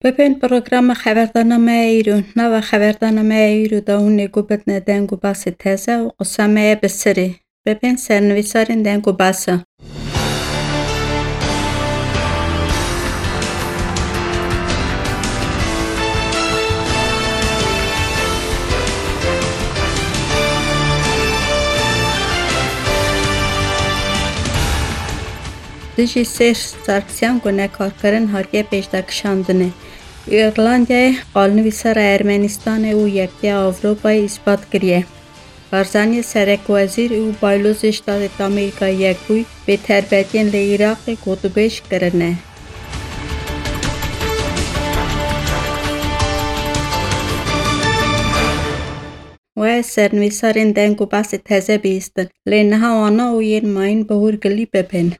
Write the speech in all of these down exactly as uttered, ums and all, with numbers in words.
Bibên programa xeberdana me ya îro. Nava xeberdana me ya îro de hûn ê guh bidine deng û basê teze û qisa me ye bi sirê. Bibên sernivîsarên deng û basa. Dijî Sêr Sarkisyan gunekarkirin hatiye pêşdakişandinê. Îrlandayê qalnivîsara Ermenistanê û Yektiya Ewropayê îspat kiriye. Barzanî serekwezîr û baylozê Ştatê Amerîka Yekbûyî bê terbetiyên li Iraqê gotûbêj kirine. We sernivîsarên deng û behsê teze bihîstin, lê niha wana û yên mayîn bi hûrgilî bibin.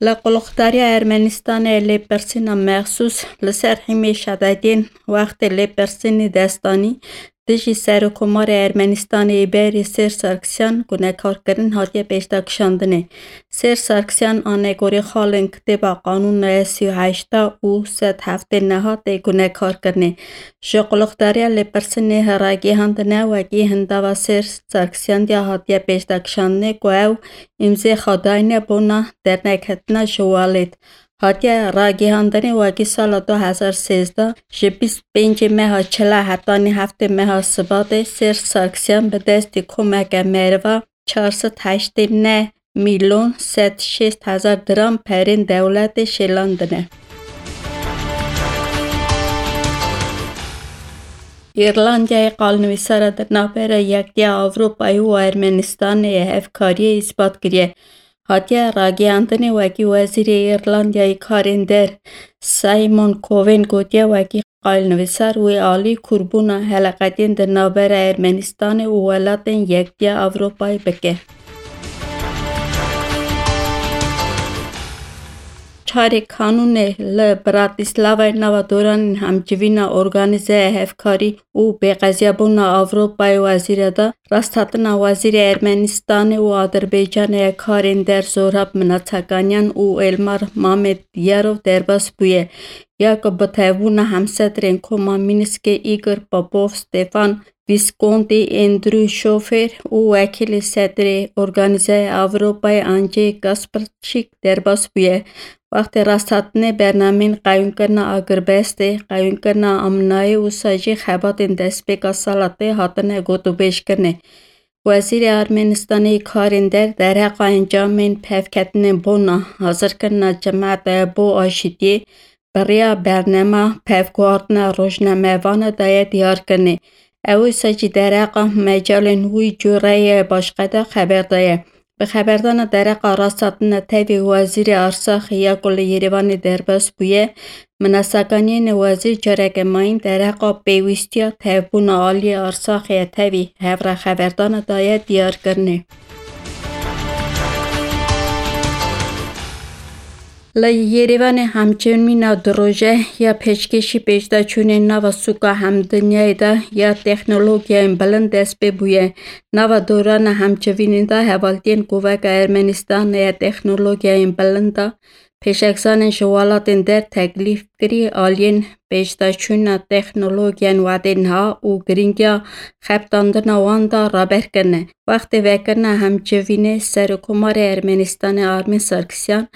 Li Quliqdariya Ermenistanê lêpirsîna mexsûs li ser hîmê şedediyên wextê lêpirsînê destanî dijî Serokkomarê Ermenistanê yê berê Sêr Sarkisyan gunekarkirin hatiye pêşdakişandinê. Sêr Sarkisyan anegorê xalên kitêba qanûna sî û heşta û sed heftê neha tê gunekarkirinê. Ji quliqdariya lêpirsînê ragihandine wekî hindava Sêr Sarkisyan diya hatiye pêşdakişandinê ku ew îmzê xwe dayne bona dernekketina ji welêt. Hatiye ragihandinê wekî sala du hezar sêzdeh ji bîst pêncê meha çila hetanî heftê meha Sibatê Sêr Sarkisyan bi destî komeke meriva çar sed heştê neh milyon sed şêst hezar diram perên dewletê şêlandine. Îrlandayê qalnivîsara di navbera Yektiya Ewropayê û Ermenistanê ya hevkariyê îspat kiriye. Hatiye ragihandinê wekî Wezîrê Îrlandayê Karên Der Simon Cowen gotiye wekî qalnivîsar wê alî kûrbûna heleqetiyên di navbera Ermenistanê û welatên Yektiya Ewropayê bike. Çarê kanûnê li Bratislavayê nava doranên hemcivîna organîzeya hevkarî û bêqeziyabûna Ewropayê wezîre da rasthatina wezîrê Ermenistanê û Adirbaycanê ya karên der Zorab Minatsakaniyan û Elmar Mamedyarov derbas bûye. Ya ku bi tevbûna hemsedrên koma Mînskê Igor Popov, Stefan Visconti, Andrew Schofer û wekîlê sedrê Organîzeya Ewropayê Andrzej Grambarczyk derbas bûye. Wextê rasthatinê bernameyên qeyûmkirina agirbestê, qeyûmkirina amnayê û wisa jî xebatên destpêka sala tê hatine gotûbêjkirinê. Wezîrê Ermenistanê yê karên der derheqa encamên pevketinên bona hazirkirina cemaetê bo aşitiyê bi rêya bernema pevguhartina rojnamevanan daye diyarkirinê. Ew wisa jî derheqa mecalên wî cûreyê başqe de xeber daye. Bi xeberdana derheqa rasthatina tevî Wezîrê Arsaxê ya ku li Yerêvanê derbas bûye, Minatsakaniyanê wezîr careke mayîn derheqa pêwîstiya tevbûna aliyê Arsaxê ya tevî hev re xeberdana daye diyarkirinê. Li Yerêvanê hemçîn mîna du roje ya pêşkêşî pêşdaçûnên nava sûka hemdinyayê de ya teknolojiyên bilind dest pê bûye. Nava dorana hemçivînê de hevaltiyên Kovaka Ermenistanê ya teknolojiyên bilind de pêşexzanên ji welatên der teklîf kirî aliyên pêşdaçûna teknolojiyên wedê niha û girîngiya xebitandina wan da raber kirine. Wextê vekirina hemçivînê Serokkomarê Ermenistanê Armin Sarkisyan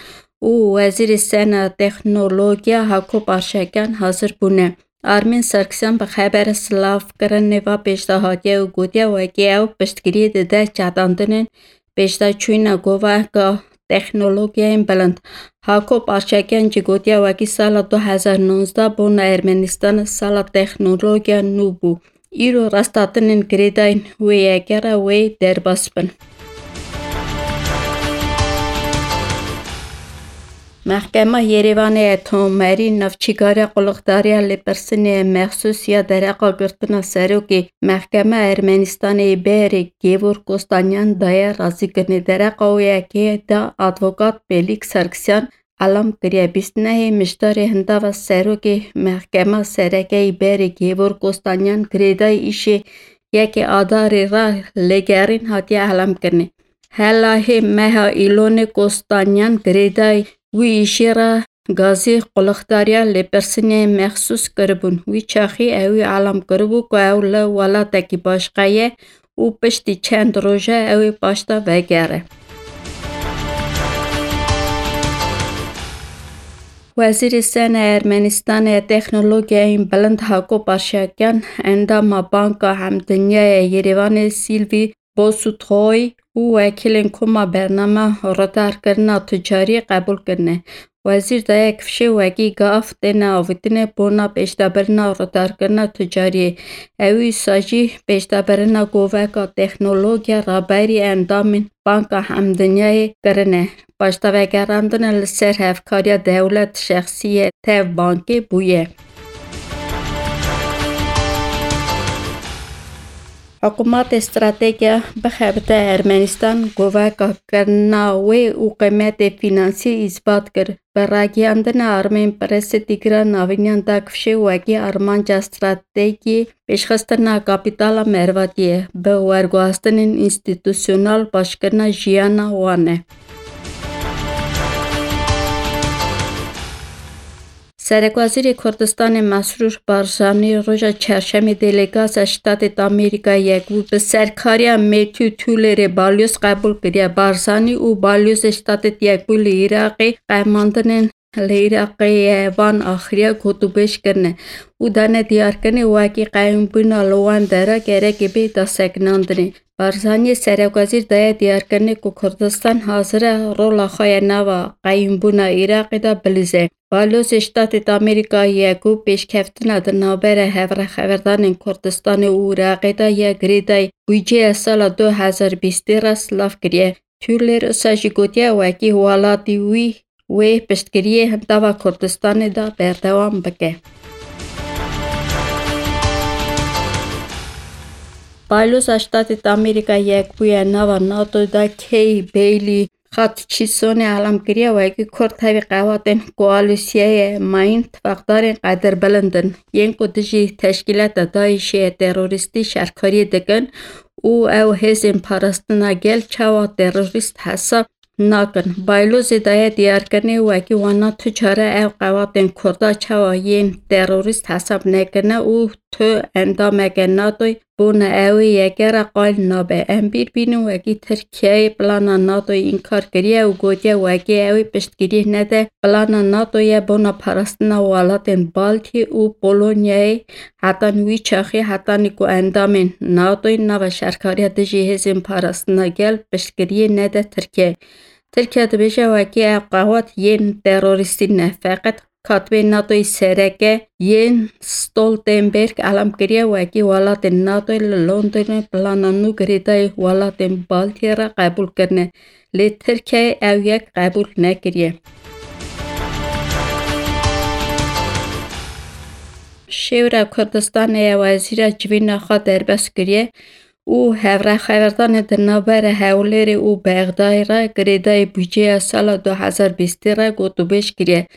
û Wezîrê Sena Teknolojiya Hako Parşakyan hazir bûne. Armin Sarkisyan bi xebera silavkirinê ve pêşdahatiye û gotiye wekî ew piştgiriyê dide çatandinên pêşdaçûna govaka teknolojiyên bilind. Hako Parşakyan jî gotiye wekî sala du hezar nonzdeh bona Ermenistan sala teknolojiya nû bû. Îro rasthatinên girêdayî wê yekê re wê derbas bin. Mehkema Yerêvanê ya Tomerî navçîgara quliqdariya lêpirsînê mexsûs ya dereqa girtina serokê Mehkema Ermenistanê yê berê Gevor Kostanyan daye razîkirinê. Dereqa wê yekê de advokat Felîk Sarkisyan elam kiriye. Bîst nehê Mişdarê hindava serokê Mehkema Sereke yê berê Gevor Kostanyan girêdayî îşê yekê Adarê re lêgerîn hatiye elam kirinê. Hela hê meha Îlonê Kostanyan girêdayî wî îşê re gazî qulixdariya lêpirsînê mexsûs kiribûn. Wî çaxî ewî elam kiribû ku ew li welatekî başqa ye û piştî çend roje ew ê paşta vegere. Wezîrê Sene Ermenistanê Texnologiyayên Bilind Hako Parşakyan endama Banka Hemdinyayê Yerêvanê Sîlvî Bosutoy û wekîlên Koma Bernama Ridarkirina Ticarî qebûl kirine. Wezîr daye kifşê wekî gav têne avêtine bona pêşdabirina ridarkirina ticariyê. Ewî wisa jî pêşdabirina goveka texnologiya raberî endamên Banka Hemdinyayê kirine. Paşdavegerandine li ser hevkariya dewlet şexsî ye tev bankê bûye. Hikûmetê strategiya bixebite Ermenistan goveka kirina wê û qîmetê fînansî îsbat kir. Bi ragihandina Armên Presê Tîgra Navînyan da kifşê wekî armanca strategî pêşxistina kapîtala mervatiyê bi werguhastinên înstîtusyonal başkirina jiyana wan e. Serekwezîrê Kurdistanê Mesrûr Barzanî roja Çarşemê delegasiya Ştatê Amerîka Yekbû bi serkariya Matthew Tullerê balyoz qebûl kiriye. Barzanî û balyozê Ştatê Yekbû li Iraqê qemandinên li Iraqê ye van axiriya gotûbêj kirine û dane diyarkirinê wekî qeyûmbûna li wan dera gerekê bê dasekinandinê. Barzaniyê serekwezîr daye diyarkirinê ku Kurdistan hazir e rola xwe ya nava qeyûmbûna Iraqê de bilîze. Balyozê Ştatê Amerîka Yekbû pêşkeftina di navbera hevrexeverdanên Kurdistanê û Iraqê de ya girêdayî budceya sala du hezar bîstê re silav kiriye. Tuller usa jî gotiye wekî welatî wî wê piştgiriyê nava Kurdistanê de berdewam bike. Balyozê Ştatê Amerîka Yekbûyî ya nava NATO da Kay Bailey Hutchisonê elam kiriye wekî Kurd tevî qewatên koalîsyayê mayîn tifaqdarên qedirbilind in yên ku dijî teşkîlata DAIŞê terorîstî şerkariyê dikin û ew hêzên parastina gel çawa terorîst hesab nakin. Baylozê daye diyarkirinê wekî wana tu çare ew qewatên Kurda çawa yên terorîst hesab nekirine û tu endameke NATOyê bona ew ê yeke re qayîl nabe. Em bîr bînin wekî Tirkiyeyê plana NATOyê înkar kiriye û gotiye wekî ew ê piştgiriyê nede plana NATOyê bona parastina welatên Baltiyê û Polonyayê. Hetan wî çaxî hetanî ku endamên NATOyê nava şerkariya dijî hêzên parastina gel piştgiriyê nede Tirkiyeyê. Tirkiye dibêje wekî ev qewat yên terorîstî ne, feqet katibê NATOyê sereke Jens Stoltenberg elam kiriye wekî welatên NATOyê li Londonê plana nû girêdayî welatên Baltiyê re qebûl kirine. Lê Tirkiyeyê ew yek qebûl nekiriye. Şêwra Kurdistanê ya wezîra civîna xwe derbas kiriye û hevrexeverdanê di navbera Hewlêrê û Bexdayê re girêdayî budceya sala du hezar bîstê re gotûbêj kiriye.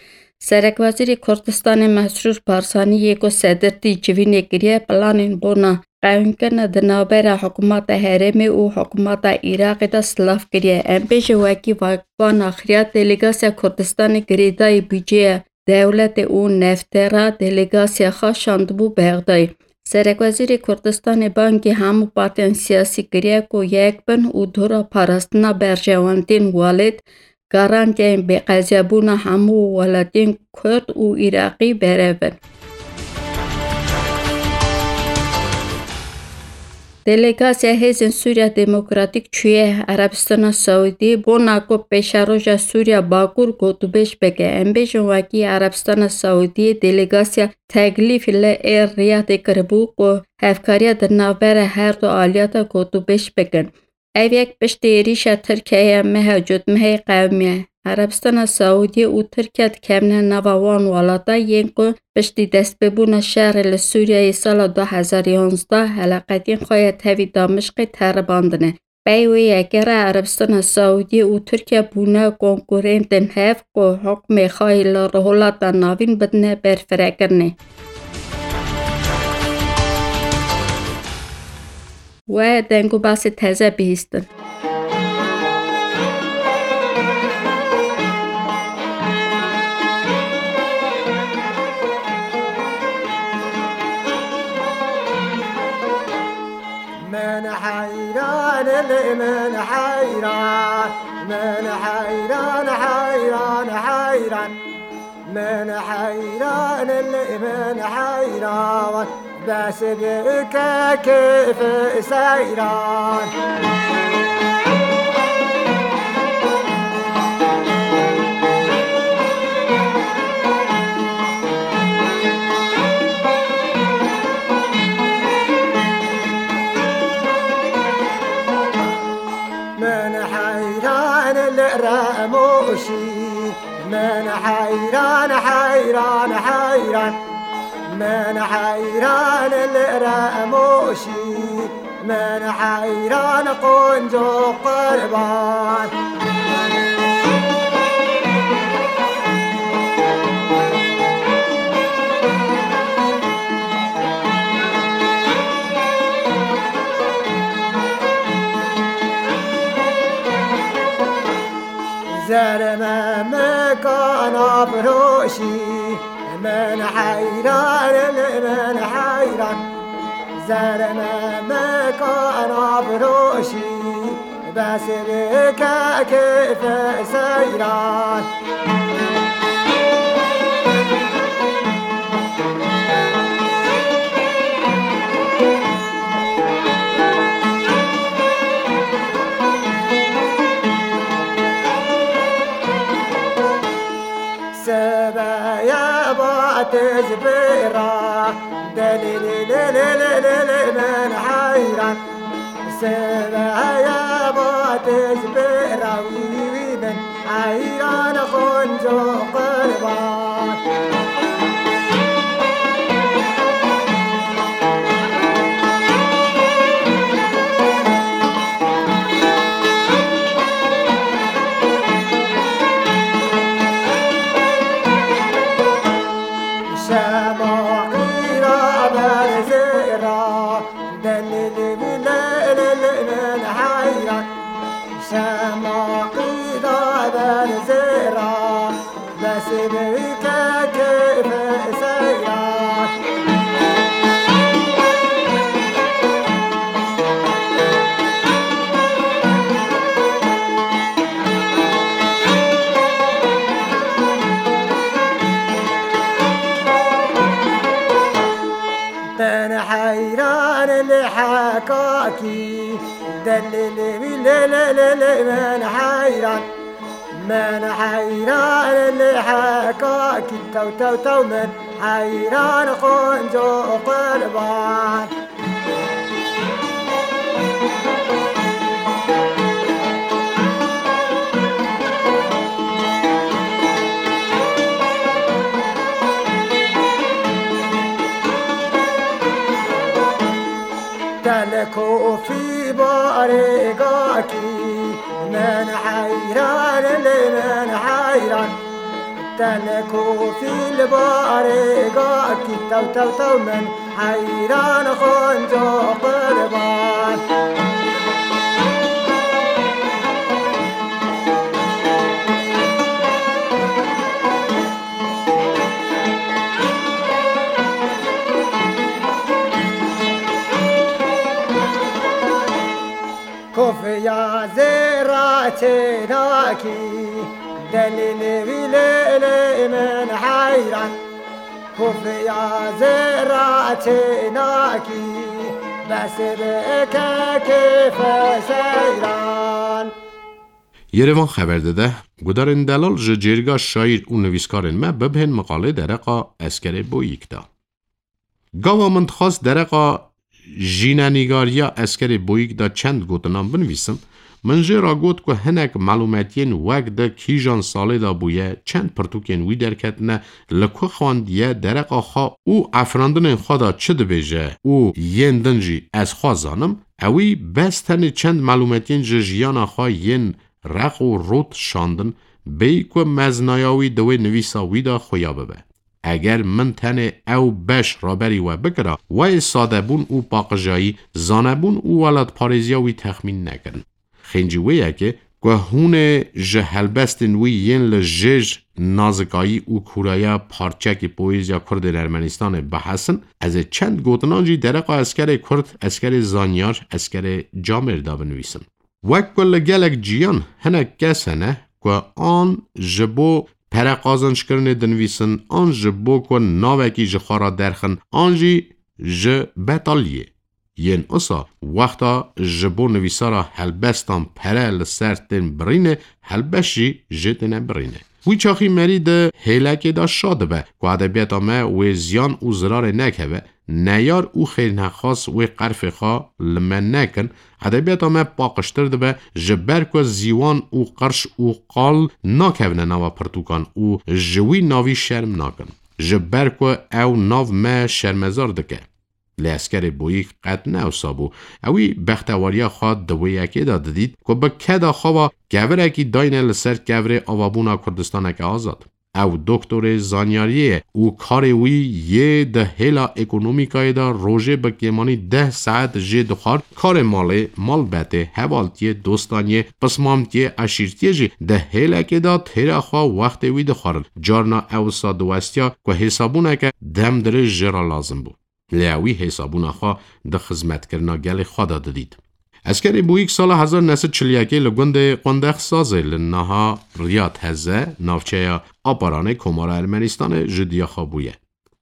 Serekwezîrê Kurdistanê Mesrûr Barzanî yê ku sedirtî civînê kiriye, planên bona qewînkirina di navbera hikûmeta herêmê û hikûmeta Iraqê de silav kiriye. Em bêjin wekî va-, van axiriya delegasiya Kurdistanê girêdayî budceya dewletê û nefte re delegasiya xwe şandibû Bexdayê. Serekwezîrê Kurdistanê bangî hemû partiyên siyasî kiriye ku yek bin û dora parastina berjewendiyên welêt, garantiyên bêqeziyabûna hemû welatiyên Kurd û Iraqî berevin. Delegasiya Hêzên Sûriya Demokratîk çûye Erebistana Saûdiyê bona ku pêşeroja Sûriya Bakur gotûbêj bike. Em bêjin wekî Erebistana Saûdiyê delegasiya teklîf li ê Riyadê kiribû ku hevkariya di navbera her du aliya de gotûbêj bikin. Ev yek piştî êrîşa Tirkiyeyê ya meha cotmehê qewimiye. Erebistana Saûdiyê û Tirkiye dikevine nava wan welata yên ku piştî destpêbûna şerê li Sûriyeyê sala du hezar yanzdeh heleqetiyên xwe ya tevî Damişqê teribandine. Pey wê yekê re Erebistana Saûdiyê û Tirkiye bûne konkurentên hev ku hukmê xwe yê li Rojhilata Navîn bidine berfirekirinê. We deng û basê teze bihîstin. Lê min heyran, min heyran, heyran, heyran. Min heyran, lê min heyran. Bes bike keyf seyran. Min heyran li Remoşî, min heyran, heyran, heyran. Min heyran li Remoşî, min heyran qonco qurban. Zerme mekana firoşî, min heyran, min heyran. Zerme mekana firoşî, bes bike keyf seyran. Sibeye ba tez bêra, delî lê lê lê lê lê lê min heyran. Sibeye ba tez bêra, wî wî wî min heyran, qonco qurban. Şema qîra berzêra, delî lê lê lê lê min heyran. Şema qîra berzêra, bes bike keyf seyran. Min heyran li hekakî, delî lê wî lê lê lê lê min heyran. Min heyran li hekakî, tew tew tew min heyran, qonco qurban. Telkofî barêgakî, min heyran, lê min heyran. Telkofî li barêgakî, tew tew tew min heyran, qonco qurban. Kofiya zêra çênakî, delîlê wî lê lê min heyran. Kofiya zêra çênakî, bes bike keyf seyran. Yerevan xeber dide, gudarên delal ji cêrga şaîr û nivîskarên me bibihên miqalê dereqa Eskerê Boyîk de. Gava min dixwast dereqa jînenîgariya Eskerê Boyîk de çend gotinan binivîsim, min jê re got ku hinek melûmetiyên wek di kîjan salê de bûye, çend pirtûkên wî derketine, li ku xwendiye, dereqa xwe û efirandinên xwe de çi dibêje û yên din jî ez xwe zanim, ewî bes tenê çend melûmetiyên ji jiyana xwe yên req û rot şandin, bêyî ku meznaya wî di wê nivîsa wî de xuya bibe. Eger min tenê ew beş raberî we bikira, wê sadebûn û paqijayî, zanebûn û welatparêziya wî texmîn nekirin. Xêncî wê ye ku ku hûn ê ji helbestên wî yên li jêr nazikayî û kûraya parçekî poêziya Kurdên Ermenistanê bihesin, ez ê çend gotinan jî dereqa eskerê Kurd, eskerê zanyar, eskerê camêr de binivîsim. Wek ku li gelek ciyan hinek kes hene ku an ji bo pere qazançkirinê dinivîsin, an ji bo ku navekî ji xwe re derxin, an jî ji betaliyê. Yên usa wexta ji bo nivîsara helbestan pere li ser tên birînê, helbest jî jê têne birînê. Wî çaxî merî di hêlekê de şa dibe ku edebiyata me wê ziyan û zirarê nekeve, neyar û xêrnexwas wê qerfê xwe li me nekin, edebiyata me paqijtir dibe, ji ber ku zîwan û qirş û qal nakevine nava pirtûkan û ji wî navî şerm nakin. Ji ber ku ew nav me şermezar dike. Lê eskerê Boyîk qet ne ewsa bû. Ewî bextewariya xwe di wê yekê de didît ku bi keda xwe ve kevirekî dayne li ser kevirê avabûna Kurdistaneke azad. Ew doktorê zanyariyê ye û karê wî yê di hêla ekonomîkayê de rojê bi kêmanî deh saet jê dixwar, karê malê, malbetê, hevaltiyê, dostaniyê, pismamtiyê, eşîrtiyê jî di hêlekê de têra xwe wextê wî dixwarin. Carna ew wisa diwestiya ku hêsabûneke demdirêj jê re lazim bû. Lê ewî hêsabûna xwe di xizmetkirina gelê xwe de didît. Eskerê Boyîk sala hezar neh sed çil yekê li gundê Qundex Sazê li niha Riyad Heze, navçeya Aparanê Komara Ermenistanê ji diya xwe bûye.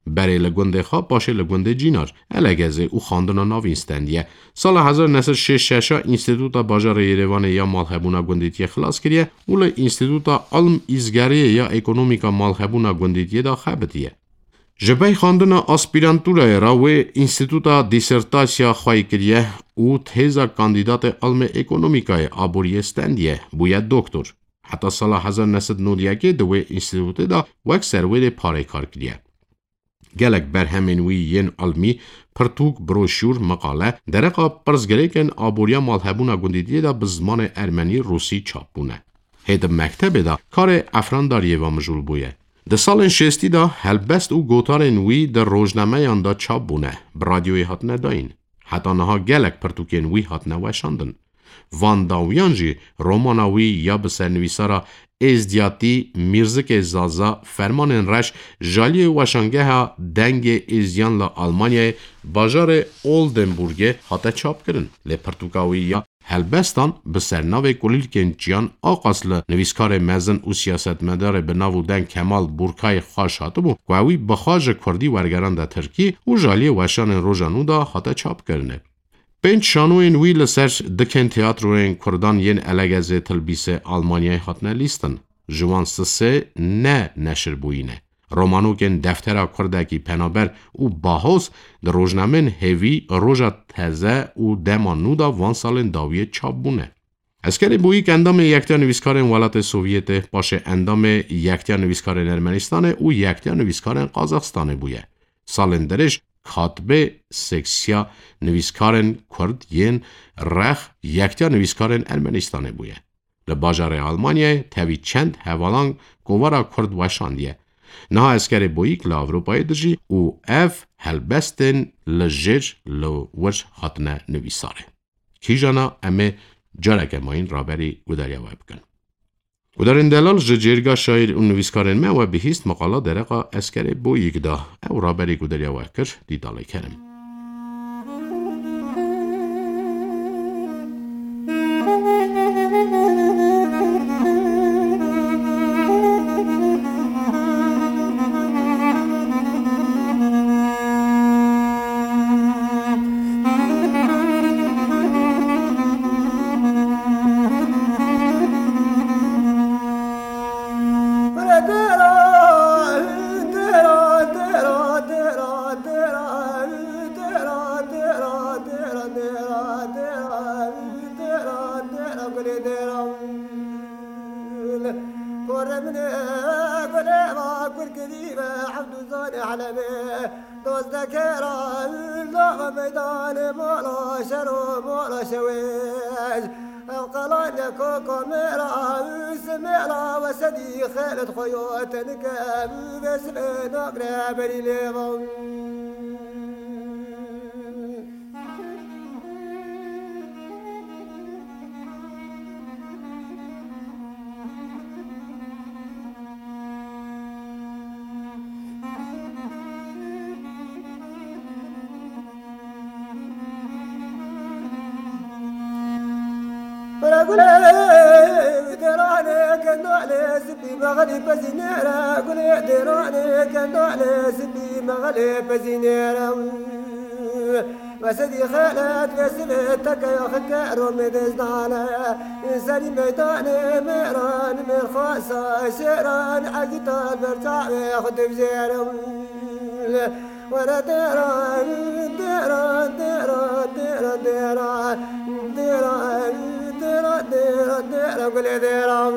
Berê li gundê xwe, paşê li gundê Cînar, Elegezê û xwendina navîn stendiye. Sala hezar neh sed şêst şeş a Înstîtuta Bajarê Yerêvanê ya Malhebûna Gundîtiyê xilas kiriye û li Înstîtuta Ilm Îzgeriyê ya Ekonomîka Malhebûna Gundîtiyê de xebitiye. Ji ber xwendina aspîrantûrayê re wê înstîtuta dîsertasya xweyî kiriye û têza kandîdatê ilmê ekonomîkayê aboriyê stendiye, bûye doktor. Heta sala hezar neh sed nod yekê di wê înstîtutê de wek serwêrê parê kar kiriye. Gelek berhemên wî yên ilmî, pirtûk, broşûr, meqale, dereqa pirsgirêkên aboriya malhebûna gundîtiyê de bi zimanê ermenî, rûsî çap bûne. Hê di mektebê de karê efrandariyê ve mijûl bûye. Di salên şêstî de helbest û gotarên wî di rojnameyan de çap bûne, bi radyoyê hatine dayîn. Heta niha gelek pirtûkên wî hatine weşandin. Van dawiyan jî romana wî ya bi sernivîsara êzdiyatî Mîrzikê Zaza, Fermanên Reş, ji aliyê weşangeha Dengê Êzdiyan li Almanyayê, bajarê Oldenburgê hate çapkirin. Lê pirtûka wî ya Helbestan bi sernavê Kulîlkên Çiyan a qas li nivîskarê mezin û siyasetmedarê bi nav û deng Kemal Burkayê xweş hatibû ku ewî bi xwe ji kurdî wergerande tirkî û ji aliyê weşanên roja nû de hate çapkirinê. Pênc şanoyên wî li ser dikên teatroyên kurdan yên Elegezê, Tilbîsê, Almanyayê hatine lîstin. Ji wan sisê ne neşir bûyî ne. Romanokên Deftera Kurdekî Penaber û Bahoz di rojnamên hêvî Roja Teze û Dema Nû de van salên dawiyê çap bûne. Eskerê Boyîk endamê Yektiya Nivîskarên Welatê Sovyetê, paşê endamê Yektiya Nivîskarên Ermenistanê û Yektiya Nivîskarên Qazaxistanê bûye. Salên dirêj katibê Seksiya Nivîskarên Kurd yên Rex Yektiya Nivîskarên Ermenistanê bûye. Li bajarê Almanyayê tevî çend hevalan kovara Kurd weşandiye. Niha Eskerê Boyîk li Ewropayê dijî û ev helbestên li jêr li wir hatine nivîsarê. Kîjana em ê careke mayîn raberî gudariya we bikin. Gudarên delal, ji cêrga şaîr û nivîskarên me we bihîst meqala dereqa Eskerê Boyîk da. Ew raberî gudariya we kir, dîtalê kerim. Kurê min ê, gulê va kurkirî ve, Evdûzanê Helebê. Dozdekê ra, nava meydanê, mala şer û mala şewêj. Ev qelane koko mêra, simêla we sedî xêlet xwe yo tenike, vê sibê nagre berî lêvan. Gulê dêranê kendalê sipî mexelî pezînêre, gulê dêranê kendalê sipî mexelê pezînêre. Vesedî xelet ve sivê teke ya xike romê dêzdane. Serî meydanê mêran mêrxasa şêran egîta ber çavê xwe divjêrim. Were dêran, dêran, dêran, dêran, dêran, dêran, dêran, dêran, dêran, gulê dêran.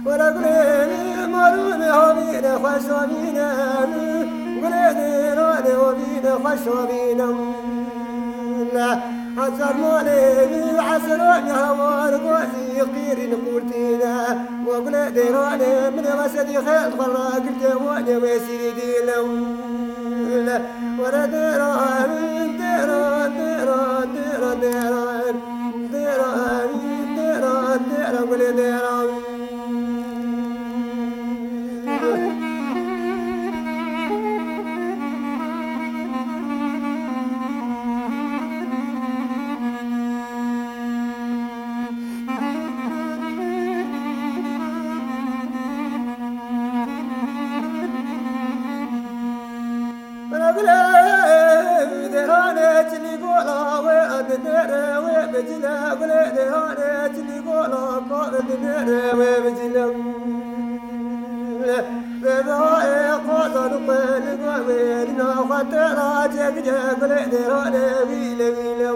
Were gulê marûnê havîne xweş havîne, gulê dêranê havîne xweş havîne. Hezar malê esrane hawar gozî qîrîn qurtîne. Wa gulê dêranê min ê vesedî xêl xwe ragirtê wanê wê sîrî dîlem. Were dêran, dêran, dêran, dêran, dêran. Dêran, dêran, dêran, gulê dêran. Gulê dêranê çilî gola wê, dinêre wê bicile, gulê dêranê çilî gola ka dinêre wê bicile. Vê vê qoza li xwe li gavê li nexwe têra çêkiriye, gulê dêranê wî le wî le.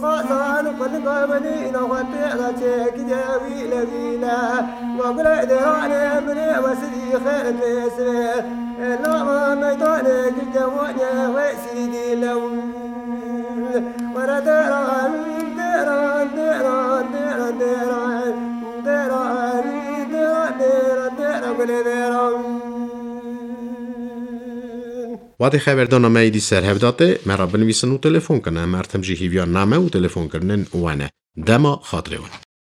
Qazan xwe li gavenî naxwe têra çêkiriye wîle wîle. Ma gulê dêranê min ê wesirî xêr pêsirê. Lava meydanê girde wanye wê sîdî lew. Were dêran, dêran, dêran, dêran, dêran. Dêran, dêran, dêran, dêran, gulê dêran. Wadê xeberdana me êdî ser hev da tê, me re binivîsin û telefon kin. Em her tim jî hîviya name û telefonkirinên we ne. Dema xatirê we.